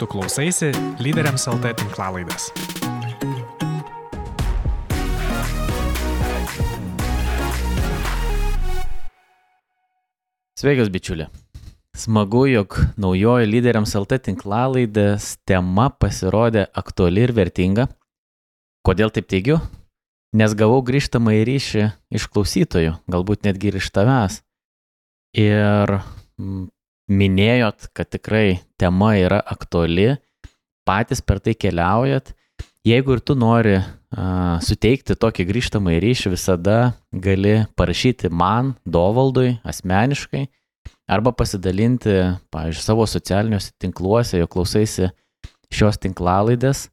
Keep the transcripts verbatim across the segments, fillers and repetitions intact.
Tu klausaisi Lyderiams L T tinklalaidės. Sveikas, bičiuli. Smagu, jog naujoji Lyderiams L T tinklalaidės tema pasirodė aktuali ir vertinga. Kodėl taip teigiu? Nes gavau grįžtamą į ryšį iš klausytojų, galbūt netgi ir iš tavęs. Ir minėjot, kad tikrai tema yra aktuali, patys per tai keliaujat. Jeigu ir tu nori a, suteikti tokį grįžtamą į ryšį, visada gali parašyti man, Dovaldui, asmeniškai, arba pasidalinti, pavyzdžiui, savo socialiniuose tinkluose, jo klausaisi šios tinklalaidės.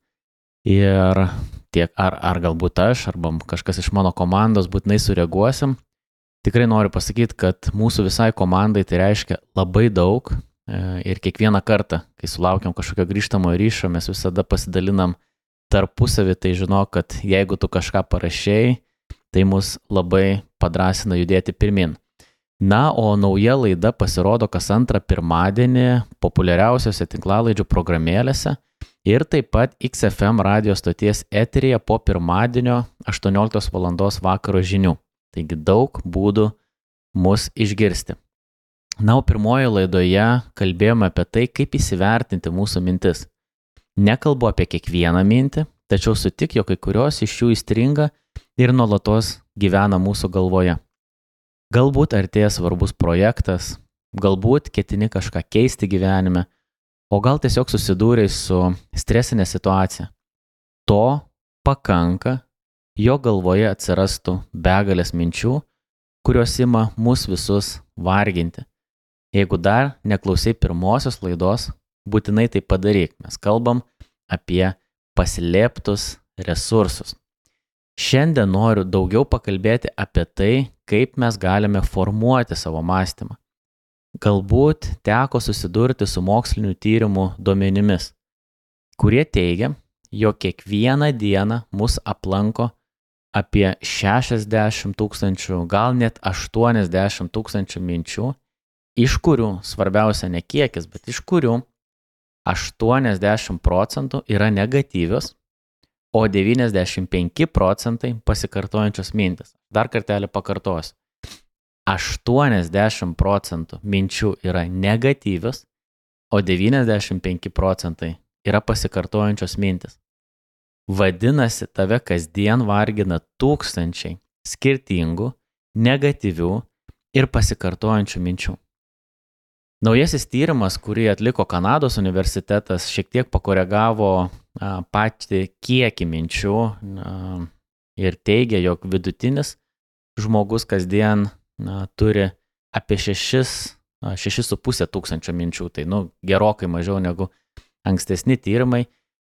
Ir tiek ar, ar galbūt aš, arba kažkas iš mano komandos būtinai sureaguosim. Tikrai noriu pasakyti, kad mūsų visai komandai tai reiškia labai daug ir kiekvieną kartą, kai sulaukiam kažkokio grįžtamo ryšio, mes visada pasidalinam tarpusavį, tai žinok, kad jeigu tu kažką parašėjai, tai mus labai padrasina judėti pirmin. Na, o nauja laida pasirodo kas antrą pirmadienį populiariausiose tinklalaidžių programėlėse ir taip pat X F M radio stoties eteryje po pirmadienio aštuonioliktos valandos vakaro žinių. Taigi daug būdų mus išgirsti. Na, o pirmoje laidoje kalbėjome apie tai, kaip įsivertinti mūsų mintis. Nekalbu apie kiekvieną mintį, tačiau sutik, jog kai kurios iš jų įstringa ir nuolatos gyvena mūsų galvoje. Galbūt artėja svarbus projektas, galbūt ketini kažką keisti gyvenime, o gal tiesiog susidūrei su stresinė situacija. To pakanka, jo galvoje atsirastų begalės minčių, kurios ima mus visus varginti. Jeigu dar neklausai pirmosios laidos, būtinai tai padaryk. Mes kalbam apie paslėptus resursus. Šiandien noriu daugiau pakalbėti apie tai, kaip mes galime formuoti savo mąstymą. Galbūt teko susidurti su mokslinių tyrimų duomenimis, kurie teigia, jog kiekvieną dieną mus aplanko apie šešiasdešimt tūkstančių, gal net aštuoniasdešimt tūkstančių minčių, iš kurių, svarbiausia ne kiekis, bet iš kurių aštuoniasdešimt procentų yra negatyvios, o devyniasdešimt penki procentai pasikartojančios mintis. Dar kartelį pakartosiu. aštuoniasdešimt procentų minčių yra negatyvios, o devyniasdešimt penki procentai yra pasikartojančios mintis. Vadinasi, tave kasdien vargina tūkstančiai skirtingų, negatyvių ir pasikartojančių minčių. Naujasis tyrimas, kurį atliko Kanados universitetas, šiek tiek pakoregavo a, patį kiekį minčių a, ir teigia, jog vidutinis žmogus kasdien a, turi apie šešis su puse tūkstančio minčių, tai nu, gerokai mažiau negu ankstesni tyrimai,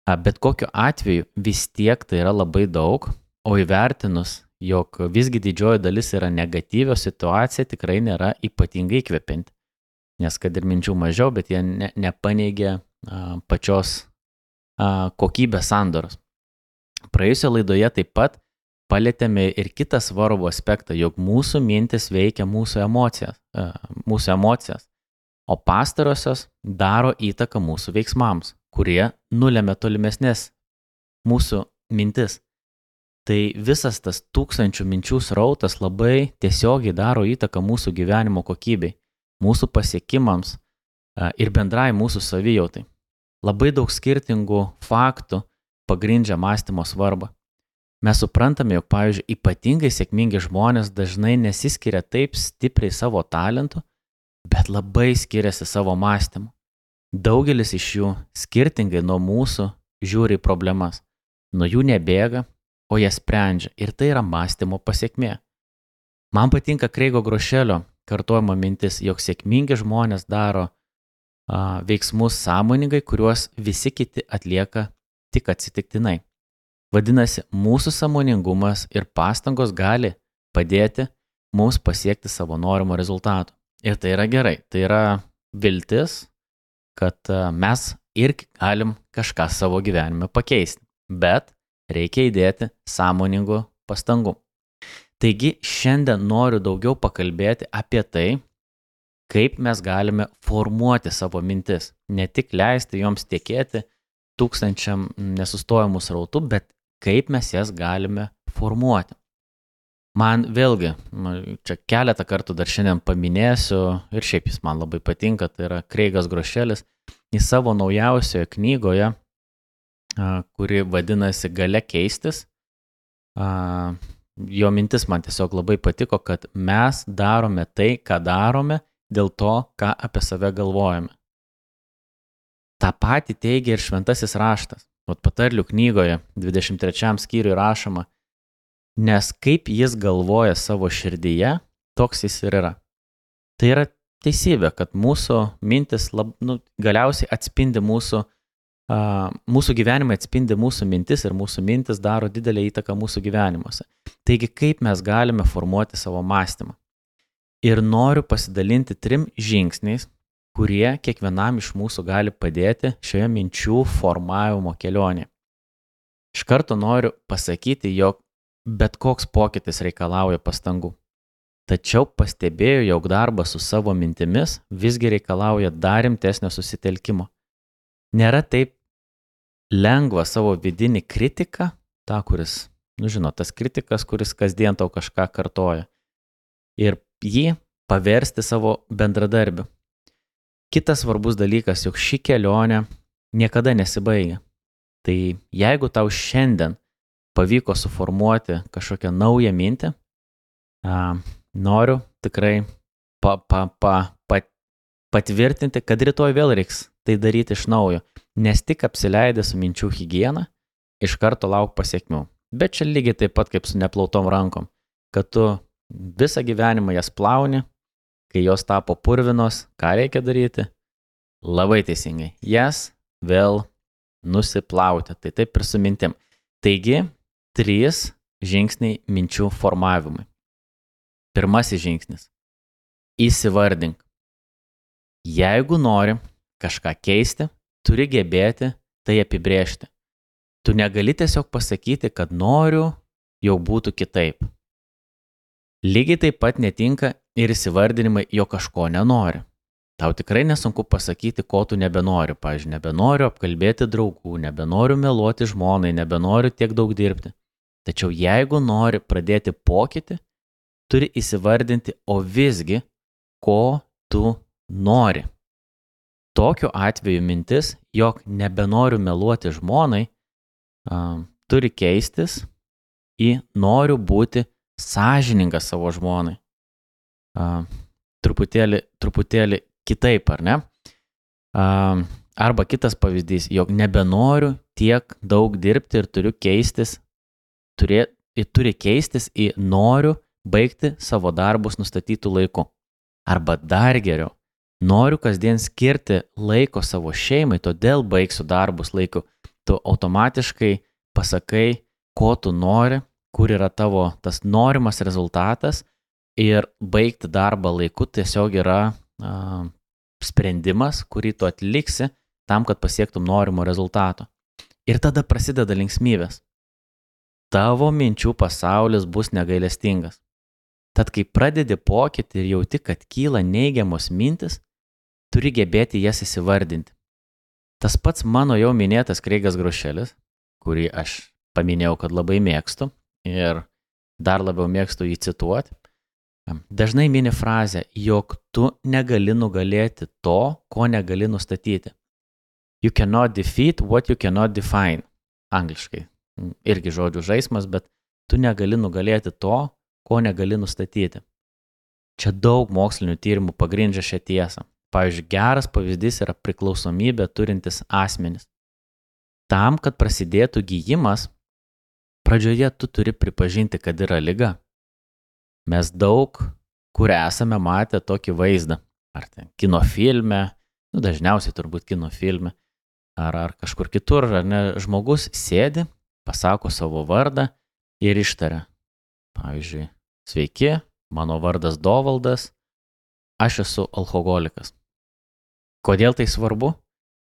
a, bet kokiu atveju vis tiek tai yra labai daug, o įvertinus, jog visgi didžioji dalis yra negatyvios, situacija tikrai nėra ypatingai įkvepianti. Nes kad ir minčių mažiau, bet jie ne, nepaneigia a, pačios a, kokybės sandaros. Praėjusioje laidoje taip pat palietėme ir kitą svarbų aspektą, jog mūsų mintis veikia mūsų emocijas, a, mūsų emocijas, o pastarosios daro įtaką mūsų veiksmams, kurie nulemia tolimesnės mūsų mintis. Tai visas tas tūkstančių minčių srautas labai tiesiogiai daro įtaką mūsų gyvenimo kokybei, mūsų pasiekimams ir bendrai mūsų savijautai. Labai daug skirtingų faktų pagrindžia mąstymo svarbą. Mes suprantame, jog, pavyzdžiui, ypatingai sėkmingi žmonės dažnai nesiskiria taip stipriai savo talentu, bet labai skiriasi savo mąstymu. Daugelis iš jų skirtingai nuo mūsų žiūri į problemas. Nuo jų nebėga, o jas sprendžia. Ir tai yra mąstymo pasiekmė. Man patinka Kreigo Grošelio kartojama mintis, jog sėkmingi žmonės daro a, veiksmus sąmoningai, kuriuos visi kiti atlieka tik atsitiktinai. Vadinasi, mūsų sąmoningumas ir pastangos gali padėti mums pasiekti savo norimo rezultato. Ir tai yra gerai, tai yra viltis, kad a, mes ir galim kažką savo gyvenime pakeisti, bet reikia įdėti sąmoningų pastangų. Taigi šiandien noriu daugiau pakalbėti apie tai, kaip mes galime formuoti savo mintis. Ne tik leisti joms tekėti tūkstančiam nesustojamų srautų, bet kaip mes jas galime formuoti. Man vėlgi, čia keletą kartų dar šiandien paminėsiu ir šiaip jis man labai patinka, tai yra Kreigas Grošelis, į savo naujausioje knygoje, kuri vadinasi Galia keistis. Jo mintis man tiesiog labai patiko, kad mes darome tai, ką darome, dėl to, ką apie save galvojame. Ta pati teigia ir šventasis raštas. Vat patarlių knygoje dvidešimt trečiam skyriui rašoma, nes kaip jis galvoja savo širdyje, toks jis ir yra. Tai yra teisybė, kad mūsų mintis lab, nu, galiausiai atspindi mūsų, uh, mūsų gyvenimą atspindi mūsų mintis ir mūsų mintis daro didelę įtaką mūsų gyvenimuose. Taigi, kaip mes galime formuoti savo mąstymą? Ir noriu pasidalinti trim žingsniais, kurie kiekvienam iš mūsų gali padėti šioje minčių formavimo kelionėje. Iš karto noriu pasakyti, jog bet koks pokytis reikalauja pastangų. Tačiau pastebėjau, jog darbas su savo mintimis visgi reikalauja dar rimtesnio susitelkimo. Nėra taip lengva savo vidinį kritiką, tą, kuris, nu žinot, tas kritikas, kuris kasdien tau kažką kartoja, ir jį paversti savo bendradarbiu. Kitas svarbus dalykas, jog ši kelionė niekada nesibaigia. Tai jeigu tau šiandien pavyko suformuoti kažkokią naują mintį, a, noriu tikrai pa, pa, pa, pa, patvirtinti, kad rytoj vėl reiks tai daryti iš naujo, nes tik apsileidę su minčių higiena, iš karto lauk pasiekmių. Bet čia lygiai taip pat kaip su neplautom rankom, kad tu visą gyvenimą jas plauni, kai jos tapo purvinos, ką reikia daryti? Labai teisingai, jas vėl nusiplauti, tai taip ir su mintim. Taigi, trys žingsniai minčių formavimui. Pirmasis žingsnis. Įsivardink. Jeigu nori kažką keisti, turi gebėti tai apibrėžti. Tu negali tiesiog pasakyti, kad noriu, jau būtų kitaip. Lygiai taip pat netinka ir įsivardinimai, jo kažko nenori. Tau tikrai nesunku pasakyti, ko tu nebenori. Pavyzdžiui, nebenoriu apkalbėti draugų, nebenoriu meluoti žmonai, nebenoriu tiek daug dirbti. Tačiau jeigu nori pradėti pokytį, turi įsivardinti, o visgi, ko tu nori. Tokiu atveju mintis, jog nebenoriu meluoti žmonai, a, turi keistis į noriu būti sąžiningas savo žmonai. A, truputėlį, truputėlį kitaip, ar ne? A, arba kitas pavyzdys, jog nebenoriu tiek daug dirbti ir turiu keistis, turė, turi keistis į noriu baigti savo darbus nustatytų laiku. Arba dar geriau, noriu kasdien skirti laiko savo šeimai, todėl baigsiu darbus laiku. Tu automatiškai pasakai, ko tu nori, kur yra tavo tas norimas rezultatas ir baigti darbą laiku tiesiog yra a, sprendimas, kurį tu atliksi tam, kad pasiektum norimo rezultato. Ir tada prasideda linksmybės. Tavo minčių pasaulis bus negailestingas. Tad kai pradedi pokytį ir jauti, kad kyla neigiamos mintis, turi gebėti jas įsivardinti. Tas pats mano jau minėtas Kreigas Grošelis, kurį aš paminėjau, kad labai mėgstu ir dar labiau mėgstu jį cituoti, dažnai mini frazę, jog tu negali nugalėti to, ko negali nustatyti. You cannot defeat what you cannot define. Angliškai. Irgi žodžių žaismas, bet tu negali nugalėti to, ko negali nustatyti. Čia daug mokslinių tyrimų pagrindžia šią tiesą. Pavyzdžiui, geras pavyzdys yra priklausomybė turintis asmenys. Tam, kad prasidėtų gyjimas, pradžioje tu turi pripažinti, kad yra liga. Mes daug, kur esame matę tokį vaizdą. Ar ten kino filme, nu dažniausiai turbūt kino filme, ar, ar kažkur kitur, ar ne, žmogus sėdi, pasako savo vardą ir ištaria. Pavyzdžiui, sveiki, mano vardas Dovaldas, aš esu alkoholikas. Kodėl tai svarbu?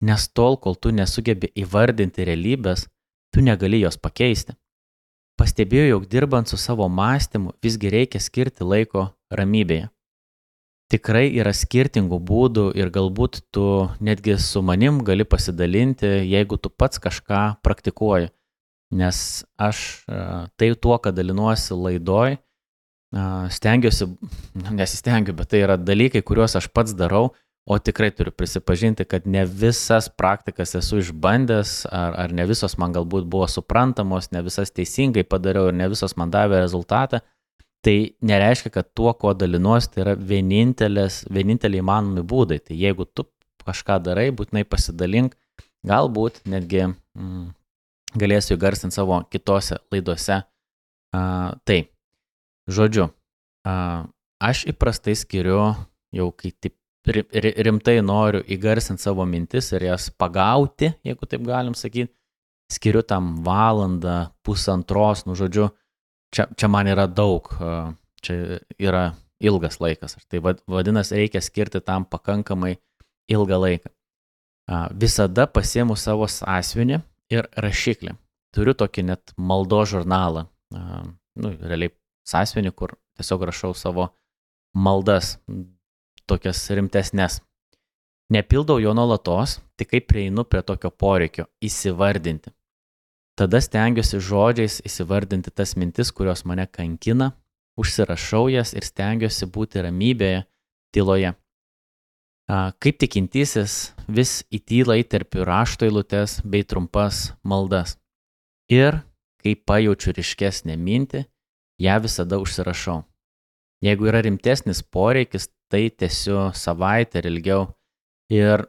Nes tol, kol tu nesugebi įvardinti realybės, tu negali jos pakeisti. Pastebėjau, jog dirbant su savo mąstymu visgi reikia skirti laiko ramybėje. tikrai yra skirtingų būdų ir galbūt tu netgi su manim gali pasidalinti, jeigu tu pats kažką praktikuoji. Nes aš tai tuo, kad dalinuosi laidoj, stengiuosi, nesistengiu, bet tai yra dalykai, kuriuos aš pats darau, o tikrai turiu prisipažinti, kad ne visas praktikas esu išbandęs, ar, ar ne visos man galbūt buvo suprantamos, ne visas teisingai padariau ir ne visos man davė rezultatą. Tai nereiškia, kad tuo, ko dalinuosi, tai yra vieninteliai įmanomi būdai. Tai jeigu tu kažką darai, būtinai pasidalink, galbūt netgi mm, galėsiu įgarsinti savo kitose laidose. Uh, tai, žodžiu, uh, aš įprastai skiriu, jau kai taip rimtai noriu įgarsinti savo mintis ir jas pagauti, jeigu taip galim sakyti, skiriu tam valandą, pusantros, nu žodžiu, Čia, čia man yra daug, čia yra ilgas laikas. Tai vadinasi, reikia skirti tam pakankamai ilgą laiką. Visada pasiimu savo sąsiuvinį ir rašiklį. Turiu tokį net maldos žurnalą. Nu, realiai sąsiuvinį, kur tiesiog rašau savo maldas, tokias rimtesnės. Nepildau jo nuolatos, tik kai prieinu prie tokio poreikio įsivardinti. Tada stengiuosi žodžiais įsivardinti tas mintis, kurios mane kankina, užsirašau jas ir stengiuosi būti ramybėje, tyloje. Kaip tikintysis, vis į tylą įterpiu rašto eilutes bei trumpas maldas. Ir kai pajaučiu ryškesnę mintį, ją visada užsirašau. Jeigu yra rimtesnis poreikis, tai tęsiu savaitę ir ilgiau. Ir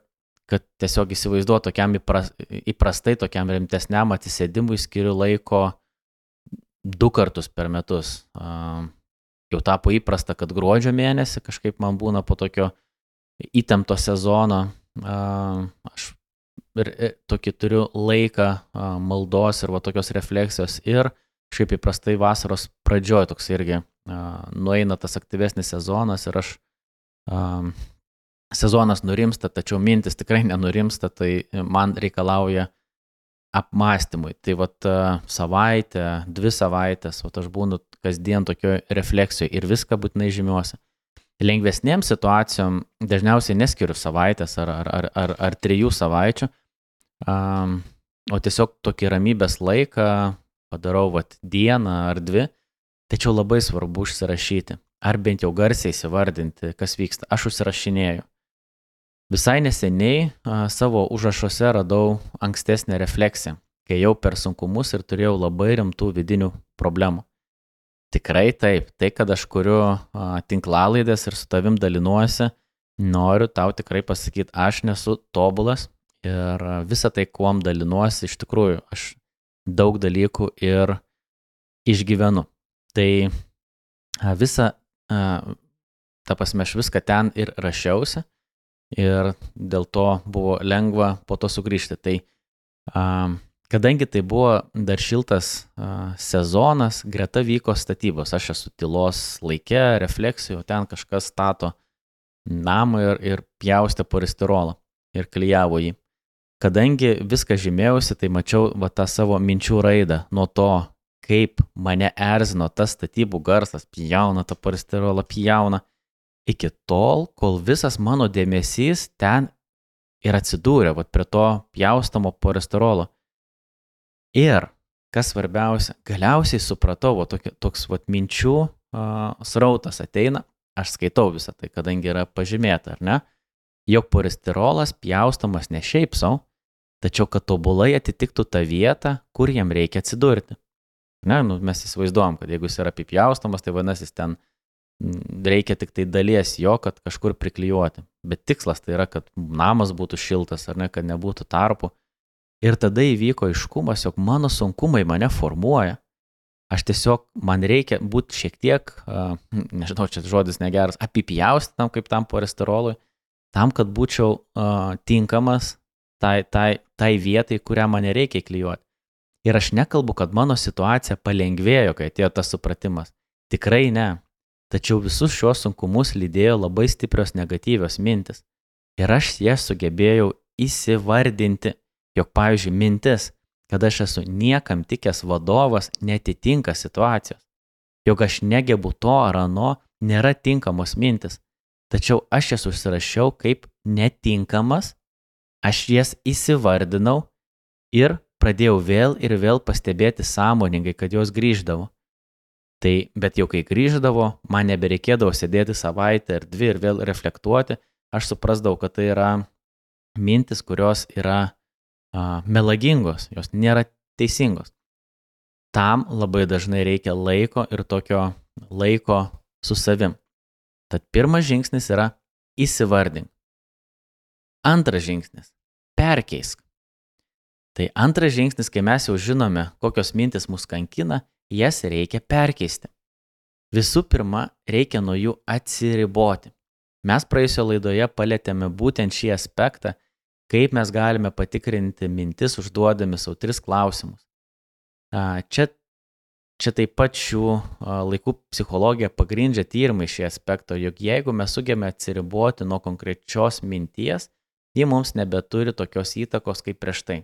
kad tiesiog įsivaizduoju tokiam įpras, įprastai, tokiam rimtesniam atsisėdimui skiriu laiko du kartus per metus. Uh, jau tapo įprasta, kad gruodžio mėnesį kažkaip man būna po tokio įtempto sezono. Uh, aš ir, ir, tokį turiu laiką uh, maldos ir va tokios refleksijos ir šiaip įprastai vasaros pradžioj toks irgi uh, nueina tas aktyvesnis sezonas ir aš uh, sezonas nurimsta, tačiau mintis tikrai nenurimsta, tai man reikalauja apmąstymui. Tai vat savaitę, dvi savaitės, vat aš būnu kasdien tokio refleksijoje ir viską būtinai žymiuosi. Lengvesnėm situacijom dažniausiai neskiriu savaitės ar, ar, ar, ar, ar trijų savaičių, um, o tiesiog tokį ramybės laiką padarau vat dieną ar dvi, tačiau labai svarbu užsirašyti, ar bent jau garsiai įsivardinti, kas vyksta. Aš užsirašinėju. Visai neseniai a, savo užrašuose radau ankstesnę refleksiją, kai jau per sunkumus ir turėjau labai rimtų vidinių problemų. Tikrai taip, tai kad aš kuriu a, tinklalaidės ir su tavim dalinuosi, noriu tau tikrai pasakyti, aš nesu tobulas ir visą tai, kuom dalinuosi, iš tikrųjų, aš daug dalykų ir išgyvenu. Tai a, visą, a, ta prasme, aš viską ten ir rašiausi. Ir dėl to buvo lengva po to sugrįžti. Tai a, kadangi tai buvo dar šiltas a, sezonas, greta vyko statybos. Aš esu tylos laike, refleksijų, ten kažkas stato namą ir, ir pjaustė polistirolą ir klijavo jį. Kadangi viską žymėjausi, tai mačiau va, tą savo minčių raidą nuo to, kaip mane erzino tas statybų garsas, pjauna tą polistirolą, pjauna. Iki tol, kol visas mano dėmesys ten ir atsidūrė vat, prie to pjaustamo polistirolo. Ir, kas svarbiausia, galiausiai supratau, vat, toks, toks vat, minčių uh, srautas ateina, aš skaitau visą tai, kadangi yra pažymėta, ar ne, jog polistirolas pjaustamas ne šiaip sau, tačiau kad tobulai atitiktų tą vietą, kur jam reikia atsidurti. Ne, nu, mes įsivaizduojam, kad jeigu jis yra apipjaustamas, tai vadinasi, ten reikia tik tai dalies jo, kad kažkur priklijuoti. Bet tikslas tai yra, kad namas būtų šiltas, ar ne, kad nebūtų tarpų. Ir tada įvyko aiškumas, jog mano sunkumai mane formuoja. Aš tiesiog, man reikia būti šiek tiek, uh, nežinau, čia žodis negeras, apipjausti tam, kaip tam polistirolui, tam, kad būčiau uh, tinkamas tai, tai, tai vietai, kurią mane reikia klijuoti. Ir aš nekalbu, kad mano situacija palengvėjo, kai atėjo tas supratimas. Tikrai ne. Tačiau visus šios sunkumus lydėjo labai stiprios negatyvios mintis. Ir aš jas sugebėjau įsivardinti, jog, pavyzdžiui, mintis, kad aš esu niekam tikęs vadovas, netitinka situacijos. Jog aš negebu to ar ano, nėra tinkamos mintis. tačiau aš jas užsirašiau kaip netinkamas, aš jas įsivardinau ir pradėjau vėl ir vėl pastebėti sąmoningai, kad jos grįždavo. Tai, bet jau kai grįždavo, man nebereikėdavo sėdėti savaitę ar dvi ir vėl reflektuoti, aš suprasdavau, kad tai yra mintis, kurios yra a, melagingos, jos nėra teisingos. Tam labai dažnai reikia laiko ir tokio laiko su savim. Tad pirmas žingsnis yra įsivardink. Antras žingsnis – perkeisk. Tai antras žingsnis, kai mes jau žinome, kokios mintis mus kankina, jas reikia perkeisti. Visų pirma, reikia nuo jų atsiriboti. Mes praėjusio laidoje palietėme būtent šį aspektą, kaip mes galime patikrinti mintis, užduodami savo tris klausimus. Čia, čia taip pat šių laikų psichologija pagrindžia tyrimai šį aspektą, jog jeigu mes sugebame atsiriboti nuo konkrečios minties, ji mums nebeturi tokios įtakos kaip prieš tai.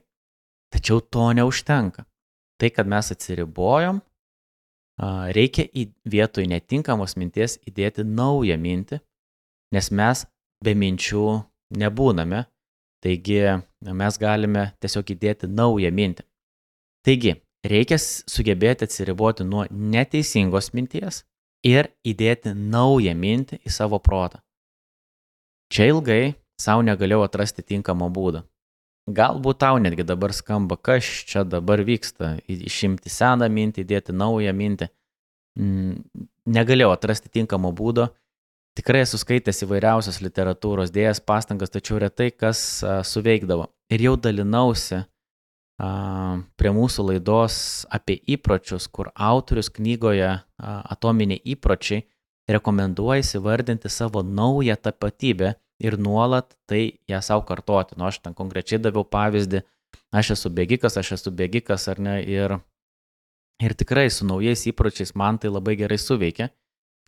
Tačiau to neužtenka. Tai, kad mes atsiribojom, reikia į vietoj netinkamos minties įdėti naują mintį, nes mes be minčių nebūname, taigi mes galime tiesiog įdėti naują mintį. Taigi, reikia sugebėti atsiriboti nuo neteisingos minties ir įdėti naują mintį į savo protą. Čia ilgai savo negalėjau atrasti tinkamą būdą. Galbūt tau netgi dabar skamba, kas čia dabar vyksta, išimti seną mintį, įdėti naują mintį. Negalėjau atrasti tinkamo būdo. Tikrai esu skaitęs įvairiausios literatūros, dėjęs pastangas, tačiau retai kas suveikdavo. Ir jau dalinausi prie mūsų laidos apie įpročius, kur autorius knygoje Atominiai įpročiai rekomenduoja įsivardinti savo naują tapatybę ir nuolat tai ją savo kartoti. Nu, aš ten konkrečiai daviau pavyzdį, aš esu bėgikas, aš esu bėgikas, ar ne, ir, ir tikrai su naujais įpročiais man tai labai gerai suveikia.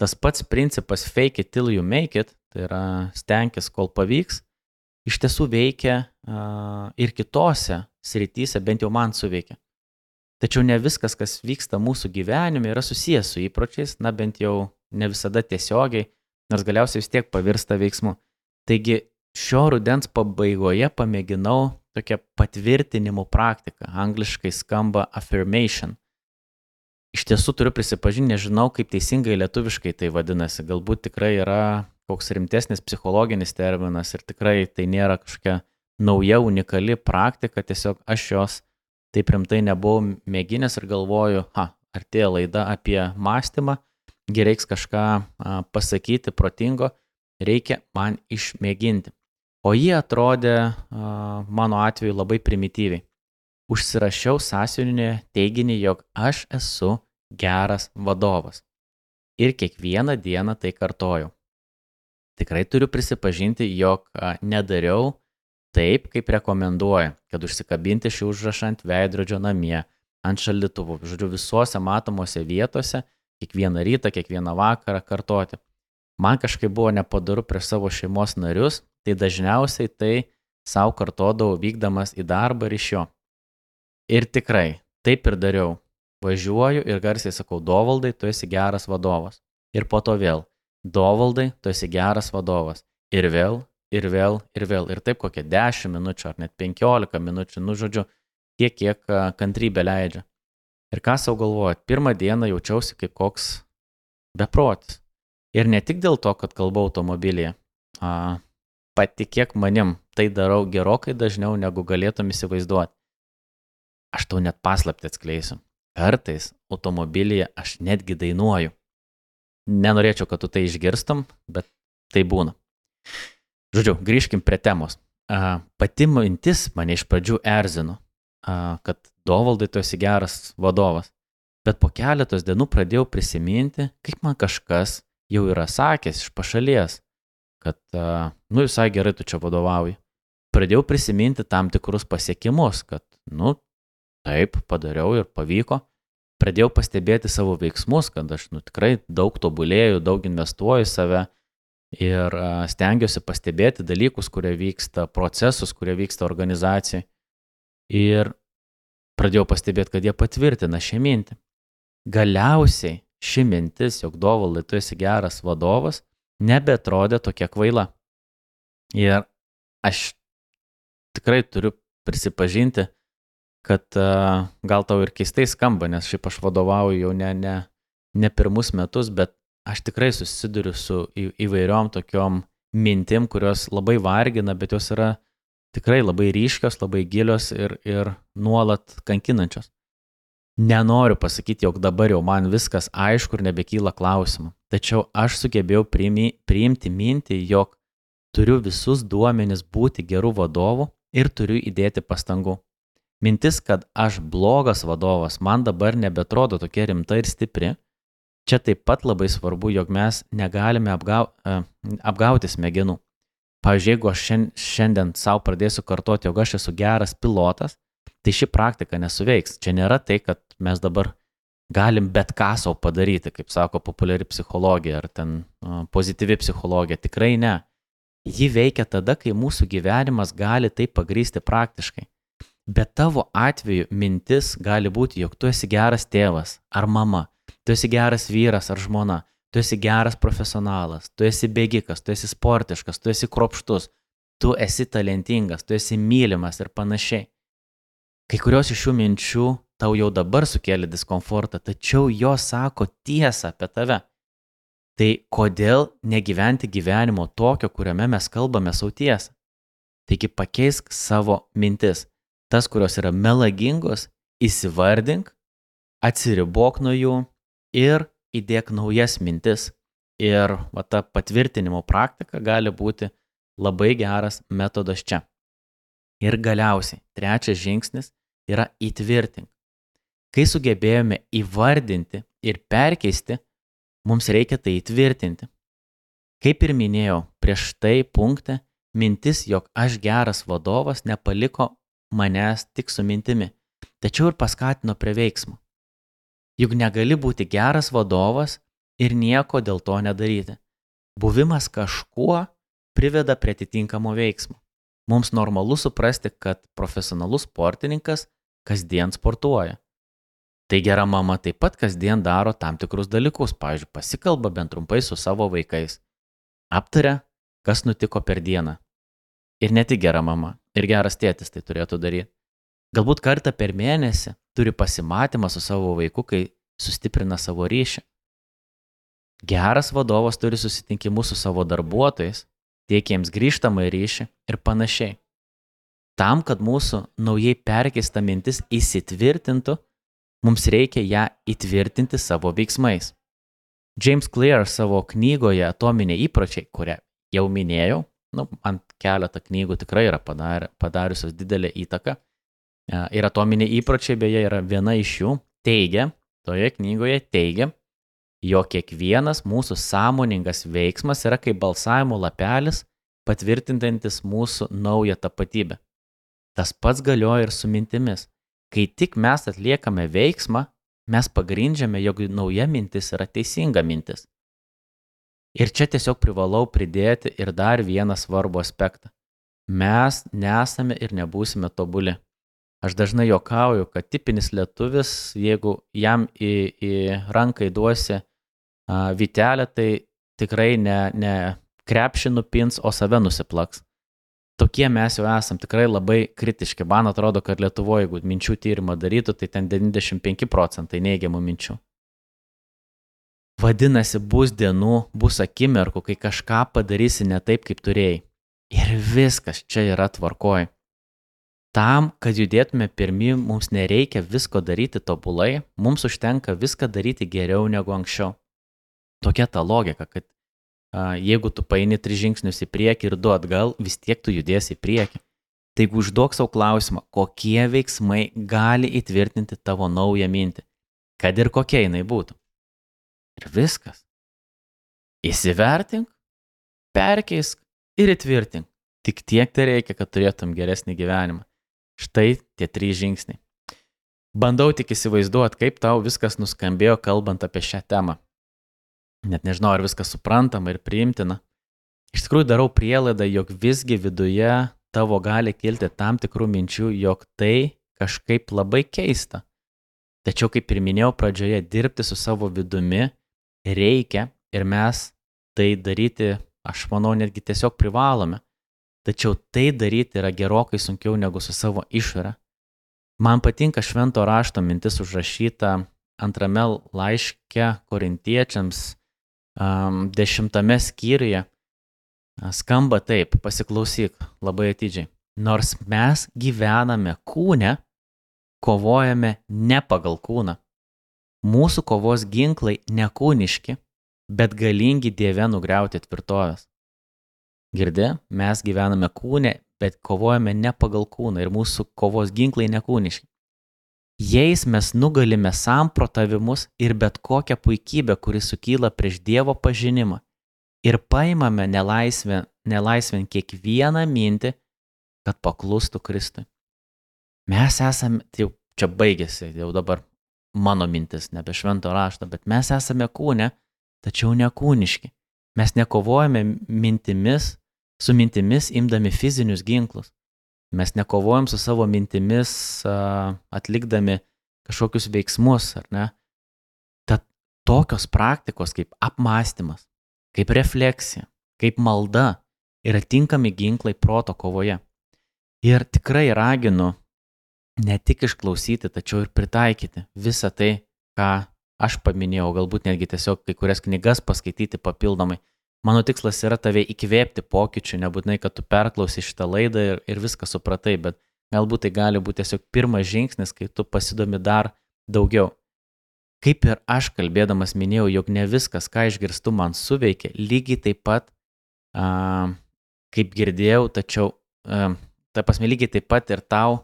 Tas pats principas fake it till you make it, tai yra stenkis, kol pavyks, iš tiesų veikia uh, ir kitose srityse, bent jau man suveikia. Tačiau ne viskas, kas vyksta mūsų gyvenime, yra susijęs su įpročiais, na bent jau ne visada tiesiogiai, nors galiausiai vis tiek pavirsta veiksmu. Taigi šio rudens pabaigoje pamėginau tokią patvirtinimų praktiką, angliškai skamba affirmation. Iš tiesų turiu prisipažinti, nežinau, kaip teisingai lietuviškai tai vadinasi, galbūt tikrai yra koks rimtesnis psichologinis terminas ir tikrai tai nėra kažkokia nauja, unikali praktika, tiesiog aš jos taip rimtai nebuvau mėginęs ir galvoju, ha, artėja laida apie mąstymą, reiks kažką a, pasakyti protingo, reikia man išmėginti. O jie atrodė a, mano atveju labai primityviai. Užsirašiau sąsiuvinį teiginį, jog aš esu geras vadovas. Ir kiekvieną dieną tai kartojau. Tikrai turiu prisipažinti, jog a, nedariau taip, kaip rekomenduoja, kad užsikabinti šį užrašą ant veidrodžio namie, ant šaldytuvų, žodžiu, visuose matomose vietose, kiekvieną rytą, kiekvieną vakarą kartoti. Man kažkaip buvo nepadaru prieš savo šeimos narius, tai dažniausiai tai savo kartodavau vykdamas į darbą ir iš jo. Ir tikrai, taip ir dariau. Važiuoju ir garsiai sakau, Dovaldai, tu esi geras vadovas. Ir po to vėl, Dovaldai, tu esi geras vadovas. Ir vėl, ir vėl, ir vėl. Ir taip kokie dešimt minučių ar net penkiolika minučių, nu žodžiu, tiek, kiek kantrybė leidžia. Ir ką savo galvojat, pirmą dieną jaučiausi kaip koks beprotis. Ir ne tik dėl to, kad kalbau automobilyje. A, patikėk manim, tai darau gerokai dažniau, negu galėtum įsivaizduoti. Aš tau net paslaptį atskleisiu. Kartais automobilyje aš netgi dainuoju. Nenorėčiau, kad tu tai išgirstum, bet tai būna. Žodžiu, grįžkim prie temos. A, pati mintis mane iš pradžių erzino, a, kad Dovaldai, tu esi geras vadovas. Bet po keletos dienų pradėjau prisiminti, kaip man kažkas jau yra sakęs iš pašalies, kad, a, nu, visai gerai tu čia vadovauji. Pradėjau prisiminti tam tikrus pasiekimus, kad, nu, taip, padariau ir pavyko. Pradėjau pastebėti savo veiksmus, kad aš nu, tikrai daug tobulėju, daug investuoju į save ir a, stengiuosi pastebėti dalykus, kurie vyksta, procesus, kurie vyksta organizacijai. Ir pradėjau pastebėti, kad jie patvirtina šią mintį. Galiausiai ši mintis, jog Dovaldai, tu esi geras vadovas, nebetrodė tokia kvaila. Ir aš tikrai turiu prisipažinti, kad uh, gal tau ir keistai skamba, nes šiaip aš vadovauju jau ne, ne, ne pirmus metus, bet aš tikrai susiduriu su į, įvairiom tokiom mintim, kurios labai vargina, bet jos yra tikrai labai ryškios, labai gilios ir, ir nuolat kankinančios. Nenoriu pasakyti, jog dabar jau man viskas aišku ir nebekyla klausimų. Tačiau aš sugebėjau priimi, priimti mintį, jog turiu visus duomenis būti gerų vadovų ir turiu įdėti pastangų. Mintis, kad aš blogas vadovas, man dabar nebetrodo tokia rimta ir stipri. Čia taip pat labai svarbu, jog mes negalime apgau, apgauti smegenų. Pavyzdžiui, jeigu aš šiandien savo pradėsiu kartoti, jog aš esu geras pilotas, tai ši praktika nesuveiks. Čia nėra tai, kad mes dabar galim bet ką savo padaryti, kaip sako populiari psichologija ar ten uh, pozityvi psichologija. Tikrai ne. Ji veikia tada, kai mūsų gyvenimas gali tai pagrįsti praktiškai. Bet tavo atveju mintis gali būti, jog tu esi geras tėvas ar mama, tu esi geras vyras ar žmona, tu esi geras profesionalas, tu esi bėgikas, tu esi sportiškas, tu esi kruopštus, tu esi talentingas, tu esi mylimas ir panašiai. Kai kurios iš šių minčių tau jau dabar sukėlė diskomfortą, tačiau jos sako tiesą apie tave. Tai kodėl negyventi gyvenimo tokio, kuriame mes kalbame savo tiesą? Taigi pakeisk savo mintis. Tas, kurios yra melagingos, įsivardink, atsiribok nuo jų ir įdėk naujas mintis. Ir va, ta patvirtinimo praktika gali būti labai geras metodas čia. Ir galiausiai, trečias žingsnis yra įtvirtink. Kai sugebėjome įvardinti ir perkeisti, mums reikia tai įtvirtinti. Kaip ir minėjau, prieš tai punkte, mintis, jog aš geras vadovas, nepaliko manęs tik su mintimi, tačiau ir paskatino prie veiksmo. Juk negali būti geras vadovas ir nieko dėl to nedaryti. Buvimas kažkuo priveda prie atitinkamo veiksmo. Mums normalu suprasti, kad profesionalus sportininkas kasdien sportuoja. Tai gera mama taip pat kasdien daro tam tikrus dalykus, pavyzdžiui, pasikalba bent trumpai su savo vaikais, aptaria, kas nutiko per dieną. Ir ne tik gera mama, ir geras tėtis tai turėtų daryti. Galbūt kartą per mėnesį turi pasimatymą su savo vaiku, kai sustiprina savo ryšį. Geras vadovas turi susitinkimus su savo darbuotojais, teikia jiems grįžtamą ryšį ir panašiai. Tam, kad mūsų naujai perkeista mintis įsitvirtintų, mums reikia ją įtvirtinti savo veiksmais. James Clear savo knygoje Atominiai įpročiai, kurią jau minėjau, nu, ant keletą knygų tikrai yra padar, padariusios didelę įtaką, ir Atominiai įpročiai beje yra viena iš jų, teigia, toje knygoje teigia, jog kiekvienas mūsų sąmoningas veiksmas yra kaip balsavimo lapelis, patvirtintantis mūsų naują tapatybę. Tas pats galioja ir su mintimis. Kai tik mes atliekame veiksmą, mes pagrindžiame, jog nauja mintis yra teisinga mintis. Ir čia tiesiog privalau pridėti ir dar vieną svarbų aspektą. Mes nesame ir nebūsime tobuli. Aš dažnai juokauju, kad tipinis lietuvis, jeigu jam į, į ranką įduosi a, vytelę, tai tikrai ne, ne krepšį nupins, o save nusiplaks. Tokie mes jau esam tikrai labai kritiški. Man atrodo, kad Lietuvoje, jeigu minčių tyrimą darytų, tai ten devyniasdešimt penki procentai neigiamų minčių. Vadinasi, bus dienų, bus akimirkų, kai kažką padarysi ne taip, kaip turėjai. Ir viskas čia yra tvarkoj. Tam, kad judėtume pirmin, mums nereikia visko daryti tobulai, mums užtenka viską daryti geriau negu anksčiau. Tokia ta logika, kad jeigu tu paini tris žingsnius į priekį ir du atgal, vis tiek tu judėsi į priekį. Taigi užduok savo klausimą, kokie veiksmai gali įtvirtinti tavo naują mintį, kad ir kokia jinai būtų. Ir viskas. Įsivertink, perkeisk ir įtvirtink. Tik tiek tai reikia, kad turėtum geresnį gyvenimą. Štai tie trys žingsniai. Bandau tik įsivaizduoti, kaip tau viskas nuskambėjo kalbant apie šią temą. Net nežinau, ar viskas suprantama ir priimtina. Iš tikrųjų darau prielaidą, jog visgi viduje tavo gali kilti tam tikrų minčių, jog tai kažkaip labai keista. Tačiau, kaip ir minėjau pradžioje, dirbti su savo vidumi reikia ir mes tai daryti, aš manau, netgi tiesiog privalome. Tačiau tai daryti yra gerokai sunkiau negu su savo išore. Man patinka švento rašto mintis užrašyta antrame laiške korintiečiams um, dešimtame skyriuje. Skamba taip, pasiklausyk labai atidžiai. Nors mes gyvename kūne, kovojame ne pagal kūną. Mūsų kovos ginklai nekūniški, bet galingi Dieve nugriauti tvirtovės. Girdi, mes gyvename kūne, bet kovojame ne pagal kūną ir mūsų kovos ginklai nekūniški. Jais mes nugalime samprotavimus ir bet kokią puikybę, kuri sukyla prieš Dievo pažinimą ir paimame nelaisvę, nelaisvę kiekvieną mintį, kad paklustų Kristui. Mes esame, tai jau čia baigėsi, jau dabar mano mintis, nebe švento rašto, bet mes esame kūne, tačiau nekūniški. Mes nekovojame mintimis, su mintimis imdami fizinius ginklus. Mes nekovojam su savo mintimis a, atlikdami kažkokius veiksmus, ar ne? Tad tokios praktikos kaip apmąstymas, kaip refleksija, kaip malda yra tinkami ginklai proto kovoje. Ir tikrai raginu ne tik išklausyti, tačiau ir pritaikyti visą tai, ką aš paminėjau, galbūt netgi tiesiog kai kurias knygas paskaityti papildomai. Mano tikslas yra tave įkvėpti pokyčių, nebūtinai, kad tu perklausi šitą laidą ir, ir viską supratai, bet galbūt tai gali būti tiesiog pirmas žingsnis, kai tu pasidomi dar daugiau. Kaip ir aš kalbėdamas minėjau, jog ne viskas, ką išgirstu, man suveikia, lygiai taip pat, a, kaip girdėjau, tačiau, a, ta prasme, lygiai taip pat ir tau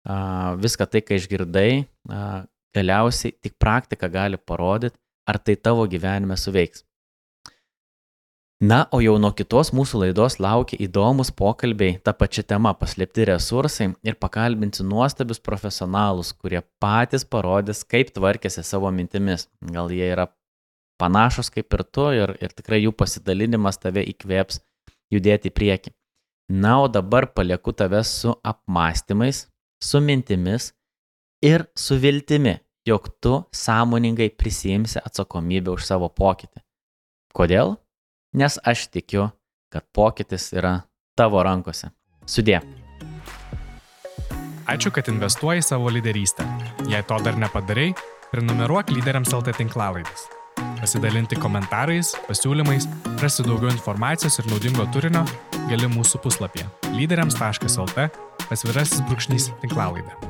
a, viską tai, ką išgirdai, a, galiausiai tik praktika gali parodyti, ar tai tavo gyvenime suveiks. Na, o jau nuo kitos mūsų laidos laukia įdomus pokalbiai tą pačią temą paslėpti resursai ir pakalbinti nuostabius profesionalus, kurie patys parodys, kaip tvarkėsi savo mintimis. Gal jie yra panašus kaip ir tu ir, ir tikrai jų pasidalinimas tave įkvėps judėti į priekį. Na, o dabar palieku tave su apmąstymais, su mintimis ir su viltimi, jog tu sąmoningai prisiimsi atsakomybę už savo pokytį. Kodėl? Nes aš tikiu, kad pokytis yra tavo rankose. Sudie. Ačiū, kad investuoji savo lyderystę. Jei to dar nepadarai, prenumeruok Lyderiams L T tinklalaidės. Pasidalinti komentarais, pasiūlymais, rasti daugiau informacijos ir naudingo turinio gali mūsų puslapyje lyderiams taškas lt pasvirasis brūkšnys tinklalaidė.